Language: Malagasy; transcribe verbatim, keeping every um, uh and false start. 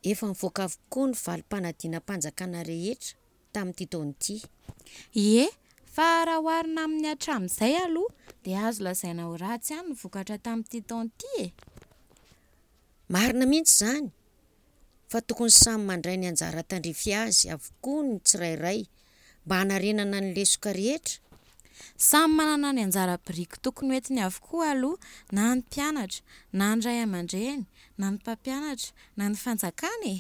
Efa nivoaka avokoa ny valim-panadinam-panjakana rehetra tamin'ity taona ity. Ie, fa raha oharina amin'ny hatramin'izay aloha dia azo lazaina ho ratsy ihany ny vokatra tamin'ity taona ity e. Marina mihitsy izany fa tokony samy mandray ny anjara tandrify azy avokoa ny tsirairay mba hanarenana ny lesoka rehetra. Samy manana ny anjara biriky tokony ho entiny avokoa aloha na ny mpianatra na ny ray aman-dreny na ny mpampianatra na ny fanjakana e.